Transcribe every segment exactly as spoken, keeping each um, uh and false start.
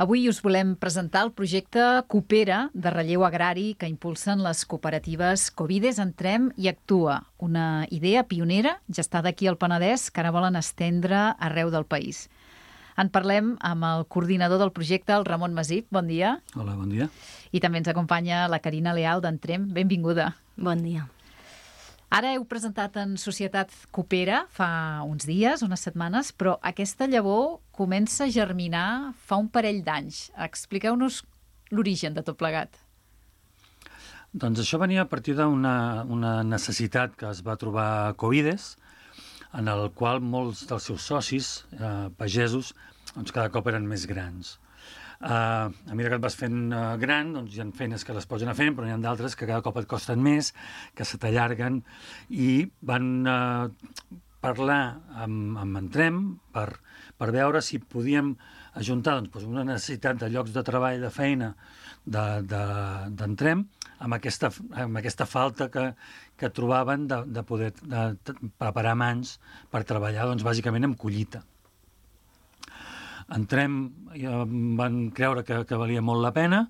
Avui us volem presentar el projecte Coopera de relleu agrari que impulsen les cooperatives Covides, Entrem i Actua, una idea pionera gestada aquí al Penedès que ara volen estendre arreu del país. En parlem amb el coordinador del projecte, el Ramon Masip. Bon dia. Hola, bon dia. I també ens acompanya la Carina Leal d'Entrem. Benvinguda. Bon dia. Ara heu presentat en Societat Coopera fa uns dies, unes setmanes, però aquesta llavor comença a germinar fa un parell d'anys. Expliqueu-nos l'origen de tot plegat. Doncs això venia a partir d'una una necessitat que es va trobar a Covides, en el qual molts dels seus socis, eh, pagesos, doncs cada cop eren més grans. Uh, a mesura que et vas fent uh, gran, doncs hi ha feines que les pots anar fent, però n'hi ha d'altres que cada cop et costen més, que se t'allarguen, i van uh, parlar amb, amb Entrem per, per veure si podíem ajuntar doncs, una necessitat de llocs de treball, de feina d'Entrem, de, de, amb, aquesta, amb aquesta falta que, que trobaven de, de poder de, de preparar mans per treballar, doncs, bàsicament amb collita. Entrem, van creure que, que valia molt la pena,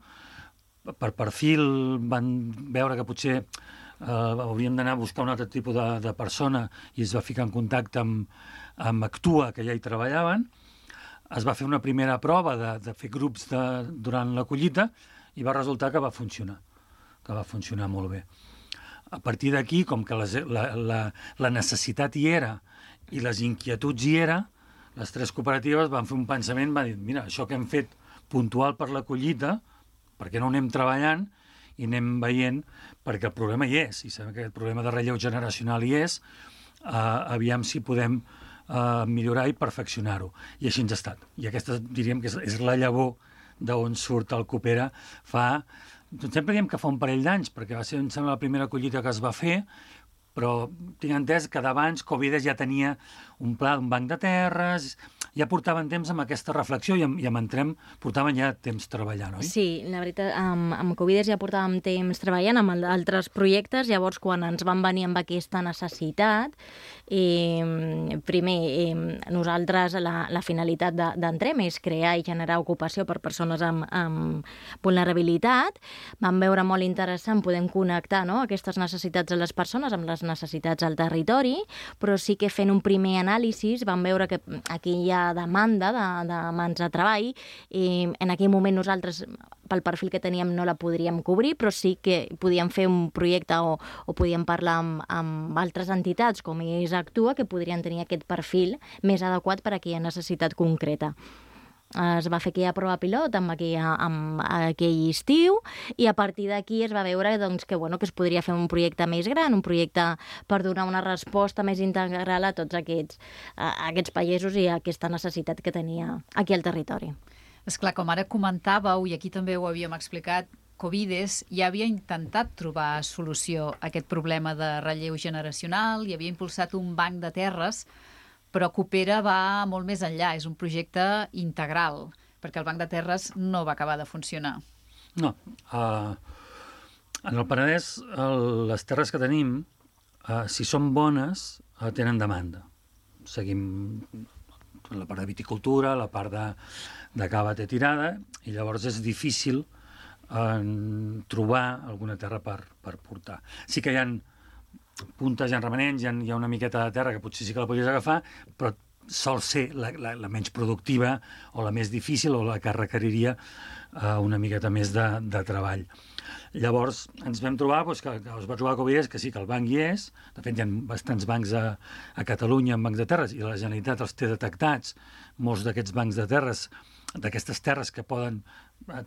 per perfil van veure que potser eh, hauríem d'anar a buscar un altre tipus de, de persona i es va ficar en contacte amb, amb Actua, que ja hi treballaven. Es va fer una primera prova de, de fer grups de, durant la collita i va resultar que va funcionar, que va funcionar molt bé. A partir d'aquí, com que les, la, la, la necessitat hi era i les inquietuds hi era, les tres cooperatives van fer un pensament, van dir, mira, això que hem fet puntual per la collita, per què no ho anem treballant i anem veient, perquè el problema hi és, i sabem que el problema de relleu generacional hi és, eh, aviam si podem eh, millorar i perfeccionar-ho. I així ens ha estat. I aquesta, diríem, que és, és la llavor d'on surt el Coopera fa... Doncs sempre diem que fa un parell d'anys, perquè va ser, em sembla, la primera collita que es va fer, però tinc entès que d'abans Covides ja tenia un pla d'un banc de terres, ja portaven temps amb aquesta reflexió i amb, i amb Entrem portaven ja temps treballant, oi? Sí, la veritat, amb, amb Covides ja portàvem temps treballant amb altres projectes, llavors quan ens van venir amb aquesta necessitat, eh, primer, eh, nosaltres la, la finalitat d'Entrem és crear i generar ocupació per persones amb, amb vulnerabilitat. Vam veure molt interessant, podem connectar, no?, aquestes necessitats de les persones amb les necessitats al territori, però sí que fent un primer anàlisi vam veure que aquí hi ha demanda de, de mans de treball i en aquell moment nosaltres pel perfil que teníem no la podríem cobrir, però sí que podíem fer un projecte o, o podíem parlar amb, amb altres entitats com és Actua que podrien tenir aquest perfil més adequat per a aquella necessitat concreta. Es va fer aquella prova pilot amb, aquella, amb aquell estiu i a partir d'aquí es va veure doncs, que, bueno, que es podria fer un projecte més gran, un projecte per donar una resposta més integral a tots aquests, a aquests pagesos i a aquesta necessitat que tenia aquí al territori. Esclar, com ara comentàveu, i aquí també ho havíem explicat, Covides ja havia intentat trobar solució a aquest problema de relleu generacional i havia impulsat un banc de terres, però Coopera va molt més enllà, és un projecte integral, perquè el banc de terres no va acabar de funcionar. No. Uh, en el Penedès, el, les terres que tenim, uh, si són bones, uh, tenen demanda. Seguim la part de viticultura, la part de, de cava té tirada, i llavors és difícil uh, trobar alguna terra per, per portar. Sí que hi ha puntes, hi ha remanents, hi ha, hi ha una miqueta de terra que potser sí que la podries agafar, però sol ser la, la, la menys productiva o la més difícil o la que requeriria uh, una miqueta més de, de treball. Llavors ens vam trobar doncs, que, que es va trobar Covides, que sí que el banc hi és, de fet hi ha bastants bancs a, a Catalunya amb bancs de terres i la Generalitat els té detectats, molts d'aquests bancs de terres, d'aquestes terres que poden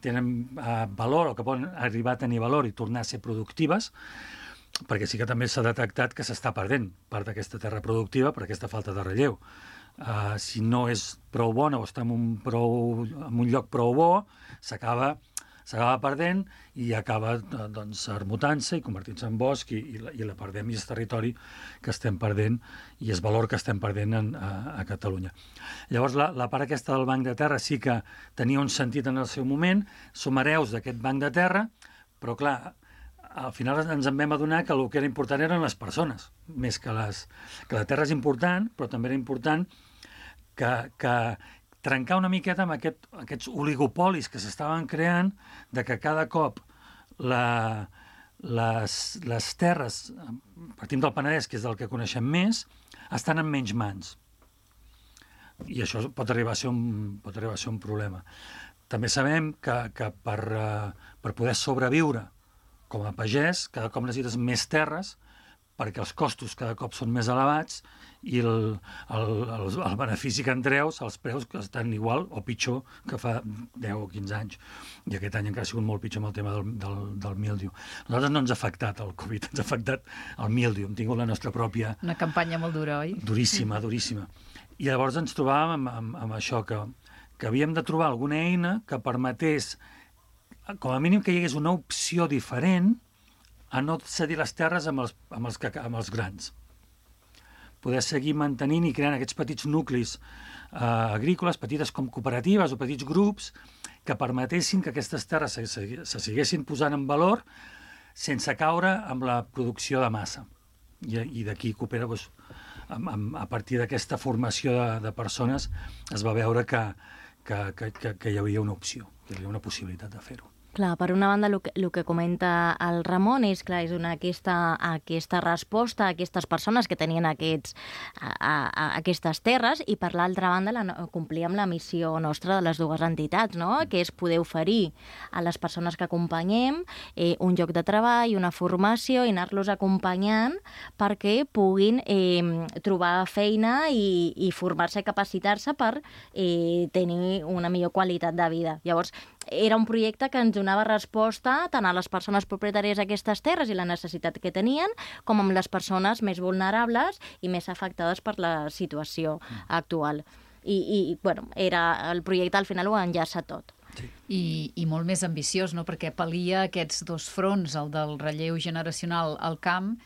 tenen uh, valor o que poden arribar a tenir valor i tornar a ser productives, perquè sí que també s'ha detectat que s'està perdent part d'aquesta terra productiva per aquesta falta de relleu. Uh, si no és prou bona o està en un, prou, en un lloc prou bo, s'acaba s'acaba perdent i acaba doncs, armutant-se i convertint-se en bosc i, i, la, i la perdem i és territori que estem perdent i és valor que estem perdent en, a, a Catalunya. Llavors la, la part aquesta del banc de terra sí que tenia un sentit en el seu moment, som hereus d'aquest banc de terra, però clar, al final ens en vam adonar que el que era important eren les persones, més que les... que la terra és important, però també era important que, que trencar una miqueta amb aquest, aquests oligopolis que s'estaven creant, de que cada cop la, les, les terres, partim del Penedès, que és del que coneixem més, estan en menys mans. I això pot arribar a ser un, pot arribar a ser un problema. També sabem que, que per, uh, per poder sobreviure com a pagès, cada cop necessites més terres, perquè els costos cada cop són més elevats i el, el, el, el benefici que en treus, els preus que estan igual o pitjor que fa deu o quinze anys. I aquest any encara ha sigut molt pitjor amb el tema del, del, del míldiu. A nosaltres no ens ha afectat el Covid, ens ha afectat el míldiu. Hem tingut la nostra pròpia... Una campanya molt dura, oi? Duríssima, duríssima. I llavors ens trobàvem amb, amb, amb això, que, que havíem de trobar alguna eina que permetés, com a mínim, que hi hagués una opció diferent a no cedir les terres amb els, amb els, amb els grans. Poder seguir mantenint i creant aquests petits nuclis eh, agrícoles, petites com cooperatives o petits grups, que permetessin que aquestes terres se, se, se siguessin posant en valor sense caure amb la producció de massa. I, i d'aquí Coopera, doncs, amb, amb, a partir d'aquesta formació de, de persones, es va veure que, que, que, que, que hi havia una opció, que hi havia una possibilitat de fer-ho. Clar, per una banda, el que, el que comenta el Ramon és, clar, és donar aquesta, aquesta resposta a aquestes persones que tenien aquests, a, a, aquestes terres, i per l'altra banda la, complir amb la missió nostra de les dues entitats, no? Que és poder oferir a les persones que acompanyem eh, un lloc de treball, una formació, i anar-los acompanyant perquè puguin eh, trobar feina i, i formar-se i capacitar-se per eh, tenir una millor qualitat de vida. Llavors, era un projecte que ens donava resposta tant a les persones propietàries d'aquestes terres i la necessitat que tenien, com amb les persones més vulnerables i més afectades per la situació actual. I, i bueno, era, el projecte al final ho enllaça tot. Sí. I, i molt més ambiciós, no? Perquè pal·lia aquests dos fronts, el del relleu generacional al camp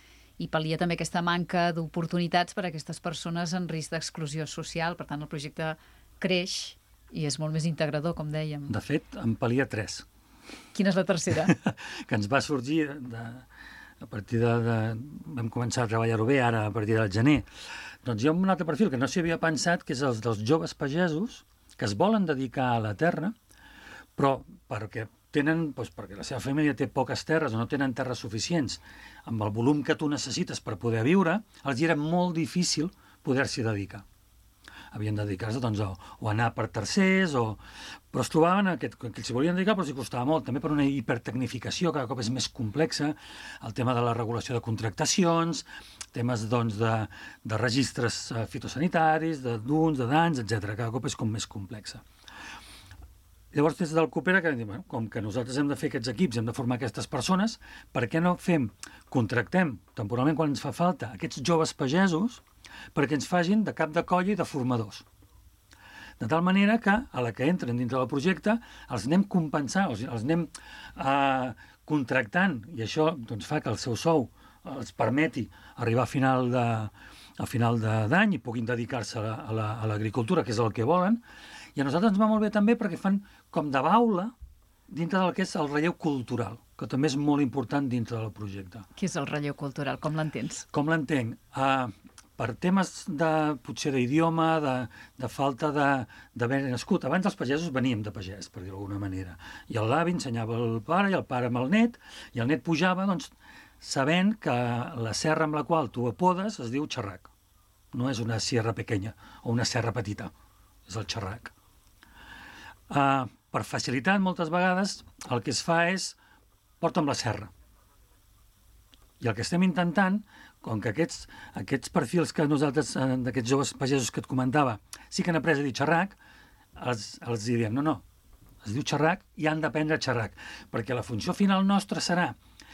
i pal·lia també aquesta manca d'oportunitats per a aquestes persones en risc d'exclusió social. Per tant, el projecte creix i és molt més integrador, com dèiem. De fet, en pal·lia tres. Quina és la tercera? Que ens va sorgir de, a partir de, de... Vam començar a treballar-ho bé ara, a partir del gener. Doncs hi ha un altre perfil que no s'hi havia pensat, que és els dels joves pagesos que es volen dedicar a la terra, però perquè tenen, doncs perquè la seva família té poques terres o no tenen terres suficients amb el volum que tu necessites per poder viure, els hi era molt difícil poder-s'hi dedicar. Havien de dedicar-se doncs, a, o anar per tercers, o... però es trobaven aquest, que s'hi volien dedicar, però s'hi costava molt, també per una hipertecnificació, cada cop és més complexa, el tema de la regulació de contractacions, temes doncs, de, de registres fitosanitaris, d'uns, de danys, etcètera. Cada cop és com més complexa. Llavors, des del Coopera, que bueno, com que nosaltres hem de fer aquests equips, hem de formar aquestes persones, per què no fem, contractem temporalment quan ens fa falta aquests joves pagesos perquè ens facin de cap de colla i de formadors. De tal manera que, a la que entren dintre del projecte, els anem compensant, els, els anem eh, contractant, i això doncs, fa que el seu sou els permeti arribar a final de, a final d'any i puguin dedicar-se a l'agricultura, la, que és el que volen. I a nosaltres ens va molt bé també perquè fan com de baula dintre del que és el relleu cultural, que també és molt important dintre del projecte. Què és el relleu cultural? Com l'entens? Com l'entenc? Uh, per temes de, potser d'idioma, de, de falta d'haver nascut. Abans els pagesos veníem de pagès, per dir-ho d'alguna manera. I l'avi ensenyava el pare i el pare amb el net, i el net pujava, doncs, sabent que la serra amb la qual tu apodes es diu xerrac. No és una sierra pequeña o una serra petita, és el xerrac. Uh, per facilitat, moltes vegades, el que es fa és porta'm la serra. I el que estem intentant, com que aquests, aquests perfils que nosaltres, d'aquests joves pagesos que et comentava, sí que han après a dir xerrac, els, els diem, no, no, es diu xerrac i han d'aprendre xerrac, perquè la funció final nostra serà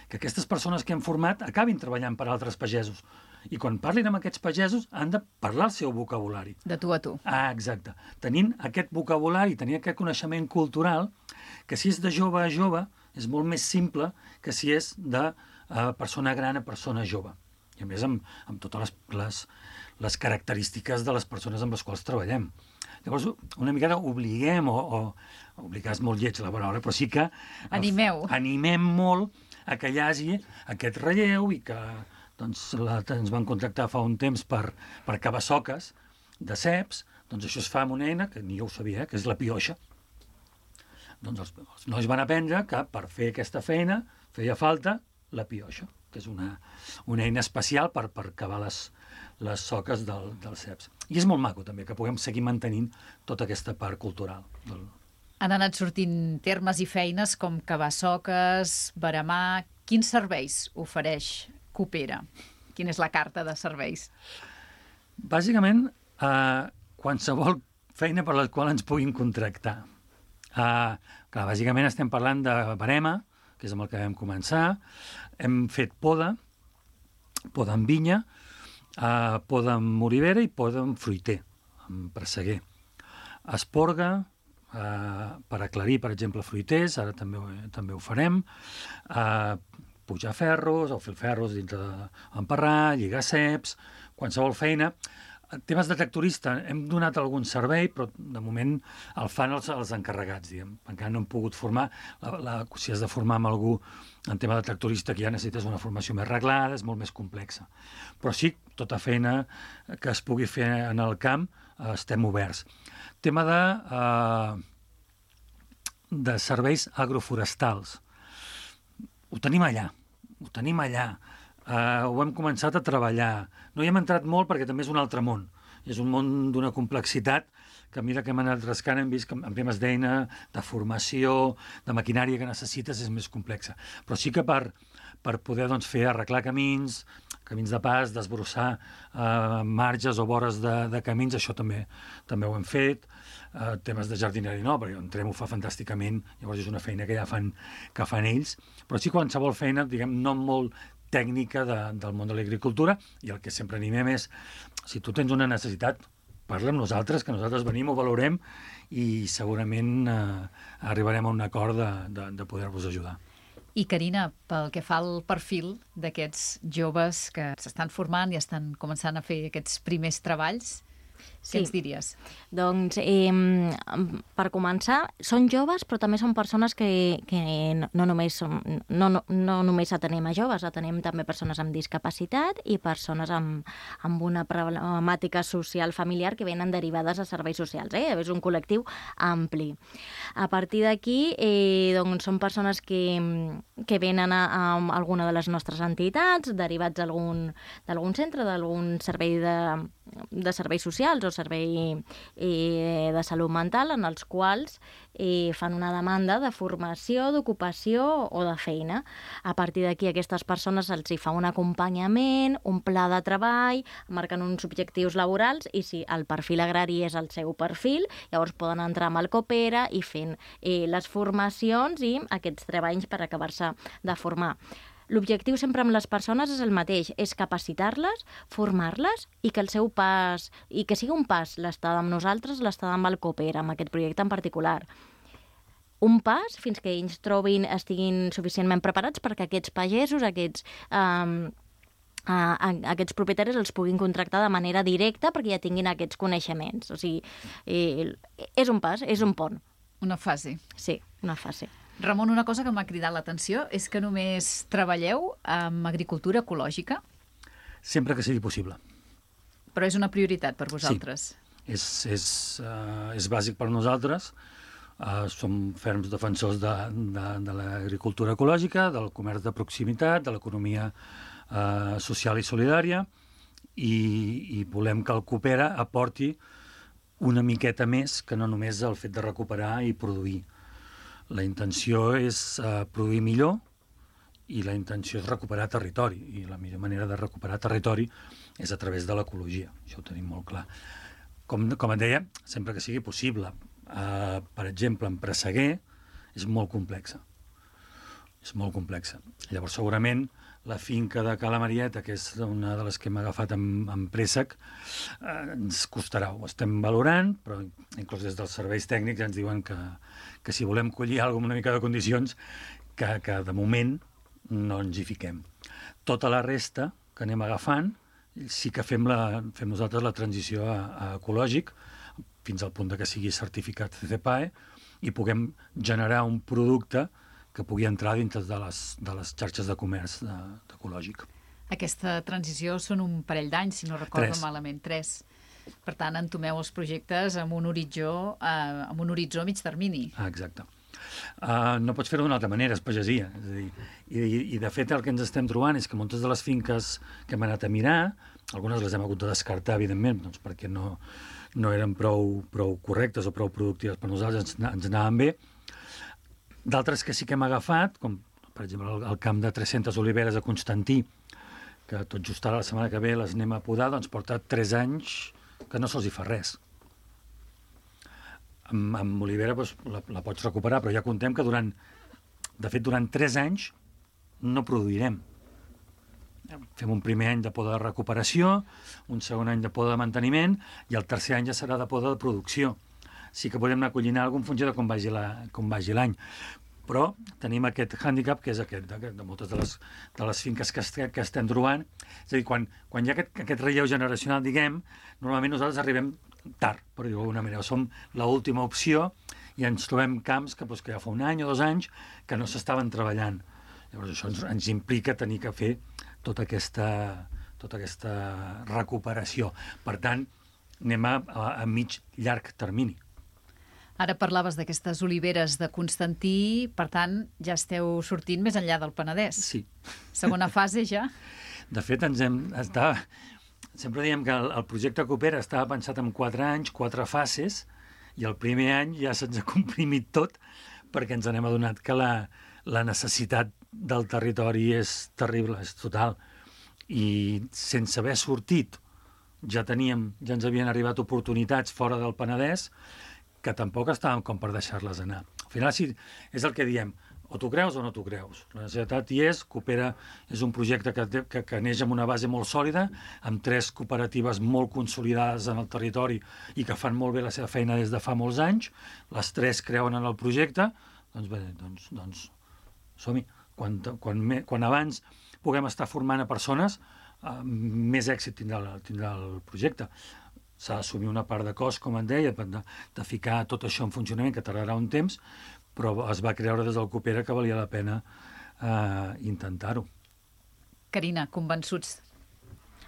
que aquestes persones que hem format acabin treballant per altres pagesos. I quan parlin amb aquests pagesos han de parlar el seu vocabulari. De tu a tu. Ah, exacte. Tenint aquest vocabulari, tenint aquest coneixement cultural, que si és de jove a jove, és molt més simple que si és de uh, persona gran a persona jove. I a més amb, amb totes les, les, les característiques de les persones amb les quals treballem. Llavors, una mica obliguem, o, o obligar és molt lleig la paraula, però sí que... Animeu. Animem molt a que hi hagi aquest relleu i que doncs, la, ens van contractar fa un temps per, per cavar soques de ceps, Doncs això es fa amb una eina, que ni jo ho sabia, eh, que és la pioixa. Doncs els, els nois van aprendre que per fer aquesta feina feia falta la pioixa, que és una, una eina especial per, per cavar les, les soques del, dels ceps. I és molt maco, també, que puguem seguir mantenint tota aquesta part cultural. Del... Han anat sortint termes i feines com cavar soques, veremar... Quins serveis ofereix Coopera? Quina és la carta de serveis? Bàsicament, eh, qualsevol feina per la qual ens puguin contractar. Eh, clar, bàsicament estem parlant de verema, que és amb el que vam començar. Hem fet poda, poda amb vinya, eh, poda amb olivera i poda amb fruiter, amb presseguer. Esporga, eh, per aclarir, per exemple, fruiters, ara també, també ho farem, eh, pujar ferros o fer ferros dintre d'emparrar, lligar ceps, qualsevol feina. Temes de tractorista, hem donat algun servei, però de moment el fan els, els encarregats, diguem. Encara no hem pogut formar, la, la, si has de formar amb algú en tema de tractorista, que ja necessites una formació més reglada, és molt més complexa. Però sí, tota feina que es pugui fer en el camp, eh, estem oberts. Tema de, eh, de serveis agroforestals. Ho tenim allà, ho tenim allà. Uh, ho hem començat a treballar. No hi hem entrat molt perquè també és un altre món. És un món d'una complexitat que a mesura que hem anat rascant hem vist que en temes d'eina, de formació, de maquinària que necessites és més complexa. Però sí que per, per poder doncs, fer arreglar camins, camins de pas, desbrossar uh, marges o vores de, de camins, això també també ho hem fet. Uh, temes de jardineria no, perquè entrem ho fa fantàsticament, llavors és una feina que ja fan, que fan ells, però sí qualsevol feina, diguem, no molt tècnica de, del món de l'agricultura, i el que sempre animem és, si tu tens una necessitat, parla amb nosaltres, que nosaltres venim, ho valorem, i segurament eh, arribarem a un acord de, de, de poder-vos ajudar. I Carina, pel que fa al perfil d'aquests joves que s'estan formant i estan començant a fer aquests primers treballs, Sí. Què ens diries? Doncs, eh, per començar, són joves, però també són persones que, que no, no, només som, no, no, no només atenem a joves, atenem també persones amb discapacitat i persones amb, amb una problemàtica social familiar que venen derivades a serveis socials. Eh? És un col·lectiu ampli. A partir d'aquí, eh, doncs, són persones que, que venen a, a alguna de les nostres entitats, derivats d'algun centre, d'algun servei de, de serveis socials o servei eh, de salut mental, en els quals eh, fan una demanda de formació, d'ocupació o de feina. A partir d'aquí, a aquestes persones se'ls hi fa un acompanyament, un pla de treball, marquen uns objectius laborals i si el perfil agrari és el seu perfil, llavors poden entrar amb el Coopera i fent eh, les formacions i aquests treballs per acabar-se de formar. L'objectiu sempre amb les persones és el mateix, és capacitar-les, formar-les i que el seu pas, i que sigui un pas l'estada amb nosaltres, l'estada amb el Coopera, amb aquest projecte en particular. Un pas fins que ells trobin, estiguin suficientment preparats perquè aquests pagesos, aquests, um, uh, aquests propietaris els puguin contractar de manera directa perquè ja tinguin aquests coneixements. O sigui, eh, és un pas, és un pont. Una fase. Sí, una fase. Ramon, una cosa que m'ha cridat l'atenció és que només treballeu amb agricultura ecològica? Sempre que sigui possible. Però és una prioritat per vosaltres? Sí, és, és, uh, és bàsic per nosaltres. Uh, som ferms defensors de, de, de l'agricultura ecològica, del comerç de proximitat, de l'economia uh, social i solidària, i, i volem que el Coopera aporti una miqueta més que no només el fet de recuperar i produir. La intenció és uh, produir millor i la intenció és recuperar territori. I la millor manera de recuperar territori és a través de l'ecologia. Això ho tenim molt clar. Com, com et deia, sempre que sigui possible. Uh, per exemple, en presseguer és molt complexa. És molt complexa. Llavors, segurament, la finca de Cala Marieta, que és una de les que hem agafat amb, amb préssec, eh, ens costarà. Ho estem valorant, però inclús des dels serveis tècnics ens diuen que, que si volem collir alguna cosa amb una mica de condicions, que, que de moment no ens hi fiquem. Tota la resta que anem agafant, sí que fem, la, fem nosaltres la transició a, a ecològic, fins al punt de que sigui certificat C C P A E, i puguem generar un producte que pugui entrar dintre de les, de les xarxes de comerç de, ecològic. Aquesta transició són un parell d'anys, si no recordo Tres. malament. Tres. Per tant, entomeu els projectes amb un horitzó, eh, amb un horitzó a mig termini. Ah, exacte. Uh, no pots fer-ho d'una altra manera, és pagesia. És a dir, i, I, de fet, el que ens estem trobant és que moltes de les finques que hem anat a mirar, algunes les hem hagut de descartar, evidentment, doncs perquè no, no eren prou, prou correctes o prou productives per nosaltres, ens, ens anaven bé. D'altres que sí que hem agafat, com per exemple el, el camp de tres-centes oliveres a Constantí, que tot just ara la setmana que ve les anem a podar, doncs porta tres anys que no se'ls hi fa res. Amb, amb olivera doncs, la, la pots recuperar, però ja contem que durant, de fet, durant tres anys no produirem. Fem un primer any de poda de recuperació, un segon any de poda de manteniment i el tercer any ja serà de poda de producció. Sí que podem anar collinant alguna en funció de com vagi la, com vagi l'any. Però tenim aquest hàndicap, que és aquest, de, de moltes de les, de les finques que, est que estem trobant. És a dir, quan, quan hi ha aquest, aquest relleu generacional, diguem, normalment nosaltres arribem tard, per dir-ho d'alguna manera. Som l'última opció i ens trobem camps que, doncs, que ja fa un any o dos anys que no s'estaven treballant. Llavors això ens, ens implica tenir que fer tota aquesta, tota aquesta recuperació. Per tant, anem a, a, a mig llarg termini. Ara parlaves d'aquestes oliveres de Constantí, per tant, ja esteu sortint més enllà del Penedès. Sí. Segona fase ja? De fet, ens hem... Està... Sempre diem que el, el projecte Coopera estava pensat en quatre anys, quatre fases, i el primer any ja se'ns ha comprimit tot perquè ens n'hem adonat que la, la necessitat del territori és terrible, és total. I sense haver sortit ja teníem, ja ens havien arribat oportunitats fora del Penedès que tampoc estàvem com per deixar-les anar. Al final, sí, és el que diem, o t'ho creus o no t'ho creus. La necessitat hi és, Coopera és un projecte que, que, que neix amb una base molt sòlida, amb tres cooperatives molt consolidades en el territori i que fan molt bé la seva feina des de fa molts anys, les tres creuen en el projecte, doncs bé, doncs, doncs som-hi. Quan, quan, quan abans puguem estar formant a persones, eh, més èxit tindrà, tindrà el projecte. S'ha d'assumir una part de cost, com en deia, de, de ficar tot això en funcionament, que tardarà un temps, però es va creure des del Coopera que valia la pena eh, intentar-ho. Carina, convençuts?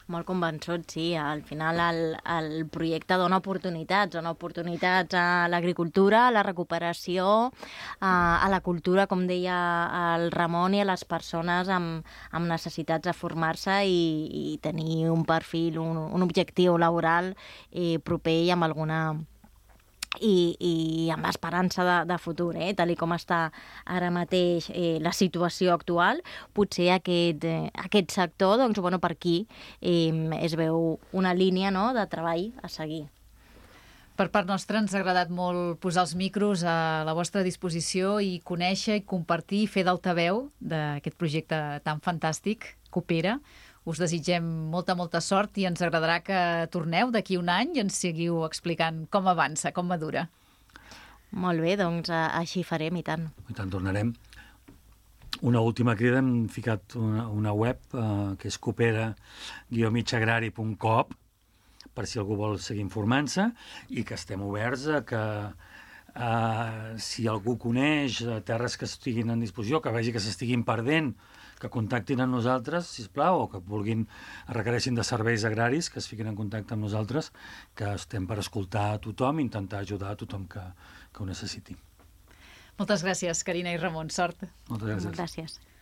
Molt convençuts, sí. Al final el, el projecte dona oportunitats, dona oportunitats a l'agricultura, a la recuperació, a, a la cultura, com deia el Ramon, i a les persones amb, amb necessitats de formar-se i, i tenir un perfil, un, un objectiu laboral eh, proper i amb alguna... I, i amb esperança de, de futur, eh? Tal com està ara mateix eh, la situació actual, potser aquest, eh, aquest sector, doncs, bueno, per aquí eh, es veu una línia, no?, de treball a seguir. Per part nostra ens ha agradat molt posar els micros a la vostra disposició i conèixer i compartir i fer d'altaveu d'aquest projecte tan fantàstic, Coopera. Us desitgem molta, molta sort i ens agradarà que torneu d'aquí un any i ens seguiu explicant com avança, com madura. Molt bé, doncs així farem, i tant. I tant, tornarem. Una última crida, hem ficat una, una web eh, que és coopera guió mitjagrari punt com per si algú vol seguir informant-se i que estem oberts a que eh, si algú coneix terres que estiguin en disposició, que vegi que s'estiguin perdent, que contactin amb nosaltres, sisplau, o que vulguin, requereixin de serveis agraris, que es fiquin en contacte amb nosaltres, que estem per escoltar a tothom i intentar ajudar a tothom que, que ho necessiti. Moltes gràcies, Carina i Ramon. Sort. Moltes gràcies. Gràcies.